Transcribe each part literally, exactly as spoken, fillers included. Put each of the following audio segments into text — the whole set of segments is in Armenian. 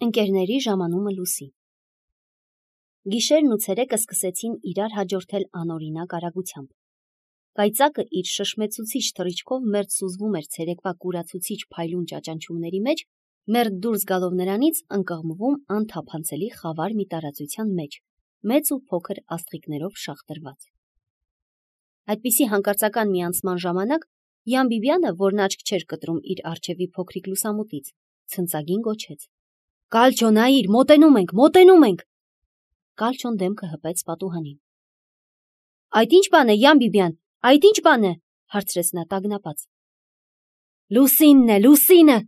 Ընկերների ժամանումը լուսի։ Գիշերն ու ցերեկը սկսեցին իրար հաջորդել անօրինակ արագությամբ։ Կայծակը իր շշմեցուցիչ թռիչքով մերձ սուզվում էր ցերեկվա կուրացուցիչ փայլուն ճաճանչումների մեջ, մերձ դուրս գալով նրանից ընկղմվում անթափանցելի խավար մի տարածության մեջ, մեծ ու փոքր աստղիկներով շաղտրված։ Այդպիսի հանկարծական մի անցման ժամանակ Յան Բիբյանը, որն աչք չէր կտրում իր առջևի փոքրիկ լուսամուտից, ցնծագին գոչեց. «Կալչո, նայիր, մոտենում ենք, մոտենում ենք»։ Կալչոն դեմքը հպեց պատուհանին։ «Այդ ի՞նչ բան է, Յան Բիբյան, այդ ի՞նչ բան է», հարցրեց նա տագնապած։ «Լուսինն է, Լուսինը,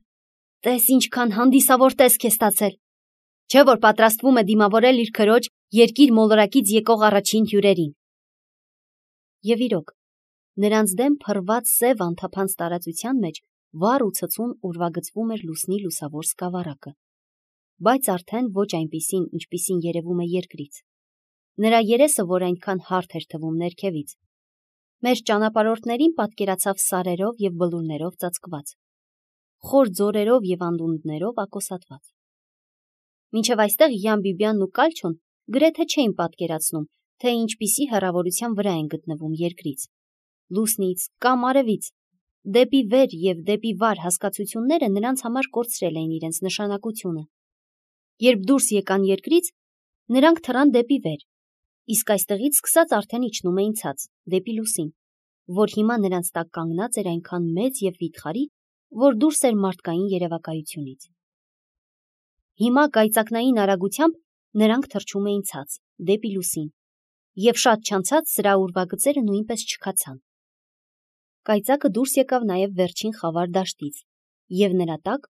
տես ինչքան հանդիսավոր տեսք է ստացել, չէ՞ որ պատրաստվում է դիմավորել իր քրոջ երկիր մոլորակից եկող առաջին հյուրերին»։ Եվ իրոք, նրանց դեմ փռված սև անթափանց տարածության մեջ վառ ու ցցուն ուրվագծվում էր լուսնի լուսավոր սկավառակը, բայց արդեն ոչ այնպիսին, ինչպիսին երևում է երկրից։ Նրա երեսը, որ այնքան հարթ էր թվում ներքևից, մեր ճանապարհորդներին պատկերացավ սարերով և բլուրներով ծածկված, խոր ձորերով և անդունդներով ակոսատված։ Մինչև այստեղ Յան Բիբյանն ու Կալչոն գրեթե չէին պատկերացնում, թե ինչպիսի հեռավորության վրա են գտնվում երկրից, լուսնից կամ արևից, դեպի վեր և դեպի վար հասկացությունները նրանց համար կորցրել էին իրենց նշանակությունը։ Երբ դուրս եկան երկրից, նրանք թռան դեպի վեր, իսկ այստեղից սկսած արդեն իջնում էին ցած, դեպի լուսին, որ հիմա նրանց տակ կանգնած էր այնքան մեծ և վիթխարի, որ դուրս էր մարդկային երևակայությունից։ Հիմա կայծակնային արագությամբ նրանք թռչում էին ցած, դեպի լուսին, և շատ չանցած սրա ուրվագծերը նույնպես չքացան։ Կայծակը դուրս եկավ նաև վերջին խավար դաշտից, և նրա տակ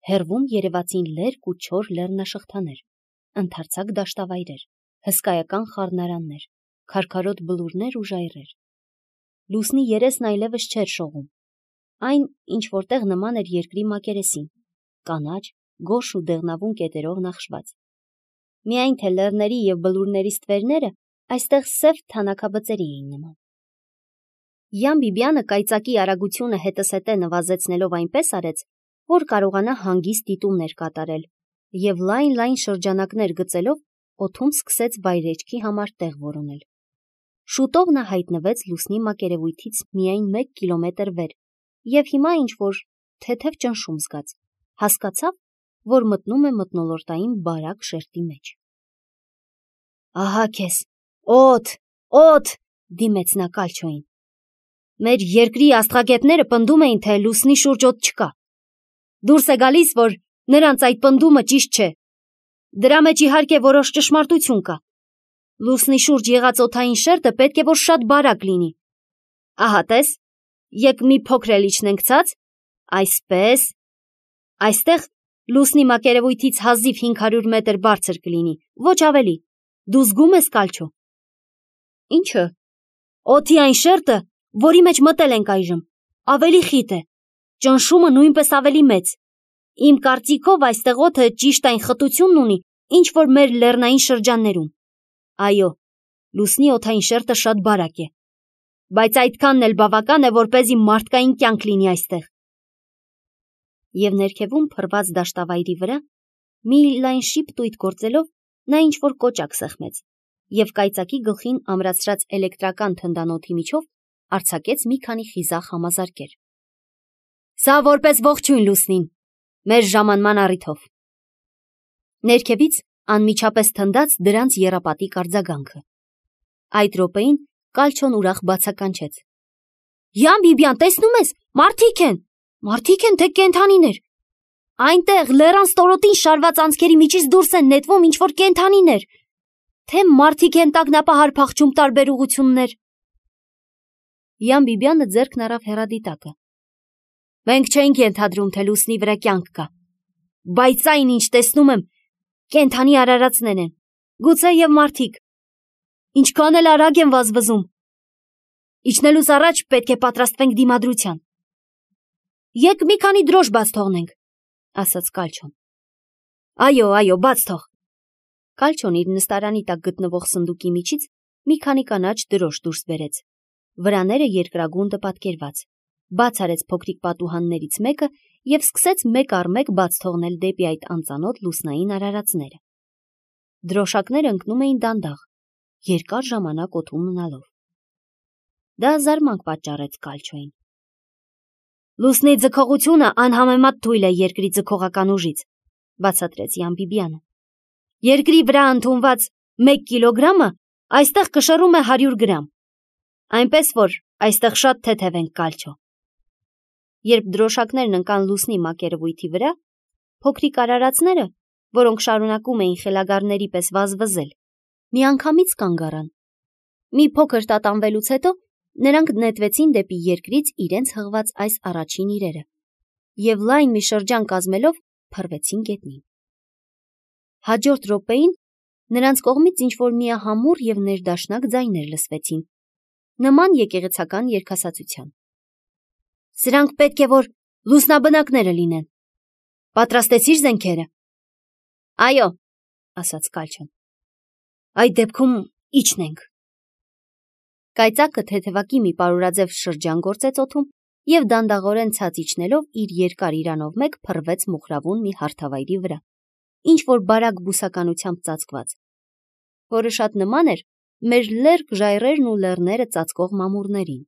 հեռվում երևացին լերկ ու չոր լեռնաշղթաներ, ընդարձակ դաշտավայրեր, հսկայական խառնարաններ, քարքարոտ բլուրներ ու ժայռեր։ Լուսնի երեսն այլևս չէր շողում, այն ինչ որտեղ նման էր երկրի մակերեսին, կանաչ, գորշ ու դեղնավուն կետերով նախշված։ Միայն թե լեռների և բլուրների ստվերները այստեղ սև թանաքաբծերի էին նման։ Յան Բիբյանը կայծակի արագությունը հետզհետե նվազեցնելով այնպես արեց, որ կարողանա հանգիստ դիտումներ կատարել, և լայն-լայն շրջանակներ գծելով օդում սկսեց վայրէջքի համար տեղ որոնել։ Շուտով նա հայտնվեց լուսնի մակերևույթից միայն մեկ կիլոմետր վեր, և հիմա ինչ-որ թեթև ճնշում զգաց, հասկացավ, որ մտնում է մթնոլորտային բարակ շերտի մեջ։ «Ահա քեզ, օդ, օդ», դիմեց նա Կալչոյին։ «Մեր երկրի աստղագետները պնդում էին, թե լուսնի շուրջ օդ չկա։ Դուրս է գալիս, որ նրանց այդ պնդումը ճիշտ չէ։ Դրա մեջ իհարկե որոշ ճշմարտություն կա։ Լուսնի շուրջ եղած օդային շերտը պետք է որ շատ բարակ լինի։ Ահա տես, եկ մի փոքր էլ իջնենք ցած, այսպես, այստեղ լուսնի մակերևույթից հազիվ հինգ հարյուր մետր բարձր կլինի, ոչ ավելի։ Դու զգում ես, Կալչո»։ «Ի՞նչը»։ «Օդի այն շերտը, որի մեջ մտել ենք այժմ, ավելի խիտ է, ճնշումը նույնպես ավելի մեծ։ Իմ կարծիքով այստեղ օդը ճիշտ այն խտությունն ունի, ինչ որ մեր լեռնային շրջաններում։ Այո, լուսնի օդային շերտը շատ բարակ է, բայց այդքանն էլ բավական է, որպեսզի մարդկային կյանք լինի այստեղ»։ Եվ ներքևում փռված դաշտավայրի վրա, մի լայն շիպտույտ գործելով, նա ինչ-որ կոճակ սեղմեց, և կայծակի գլխին ամրացրած էլեկտրական թնդանոթի միջով արձակեց մի քանի խիզախ համազարկեր։ «Սա որպես ողջույն լուսնին, մեր ժամանման առիթով»։ Ներքևից անմիջապես թնդաց դրանց եռապատիկ արձագանքը։ Այդ րոպեին Կալչոն ուրախ բացականչեց. «Յան Բիբյան, տեսնում ես, մարդիկ են, մարդիկ են, թե կենդանիներ։ Այնտեղ լեռան ստորոտին շարված անցքերի միջից դուրս են նետվում ինչ-որ կենդանիներ, թե մարդիկ են տագնապահար փախչում տարբեր ուղղություններ»։ Յան Բիբյանը ձեռքն առավ հեռադիտակը։ «Մենք չէինք ենթադրում, թե լուսնի վրա կյանք կա, բայց այն, ինչ տեսնում եմ, կենդանի արարածներ են, գուցե և մարդիկ։ Ինչքան էլ արագ են վազվզում։ Իջնելուց առաջ պետք է պատրաստվենք դիմադրության։ Եկ մի քանի դրոշ բաց թողնենք», ասաց Կալչոն։ «Այո, այո, բաց թող»։ Կալչոն իր նստարանի տակ գտնվող սնդուկի միջից մի քանի կանաչ դրոշ դուրս բերեց, վրաները երկրագունդը պատկերված, բաց արեց փոքրիկ պատուհաններից մեկը և սկսեց մեկ առ մեկ բաց թողնել դեպի այդ անծանոթ լուսնային արարածները։ Դրոշակները ընկնում էին դանդաղ, երկար ժամանակ օդում մնալով։ Դա զարմանք պատճառեց Կալչոյին։ Լուսնի ձգողությունը անհամեմատ թույլ է երկրի ձգողական ուժից, բացատրեց Յամբիբյանը։ Երկրի վրա ընդունված մեկ կիլոգրամը այստեղ կշռում է հարյուր գրամ, այնպես որ այստեղ շատ թեթև ենք, Կալչո։ Երբ դրոշակներն ընկան լուսնի մակերևույթի վրա, փոքրիկ արարածները, որոնք շարունակում էին խելագարների պես վազվզել, միանգամից կանգ առան։ Մի փոքր տատանվելուց հետո նրանք նետվեցին դեպի երկրից իրենց հղված այս առաջին իրերը և լայն մի շրջան կազմելով փռվեցին գետնին։ Հաջորդ րոպեին նրանց կողմից ինչ-որ միահամուռ և ներդաշնակ ձայներ լսվեցին, նման եկեղեցական երգասացության։ Սրանք պետք է որ լուսնաբնակները լինեն։ Պատրաստեցի՞ր զենքերը։ Այո, ասաց Կալչոն։ Այդ դեպքում իջնենք։ Կայծակը թեթևակի մի պարուրաձև շրջան գործեց օդում և դանդաղորեն ցած իջնելով իր երկար իրանով մեկ փռվեց մոխրավուն մի հարթավայրի վրա, ինչ-որ բարակ բուսականությամբ ծածկված, որը շատ նման էր մեր լերկ ժայռերն ու լեռները ծածկող մամուռներին։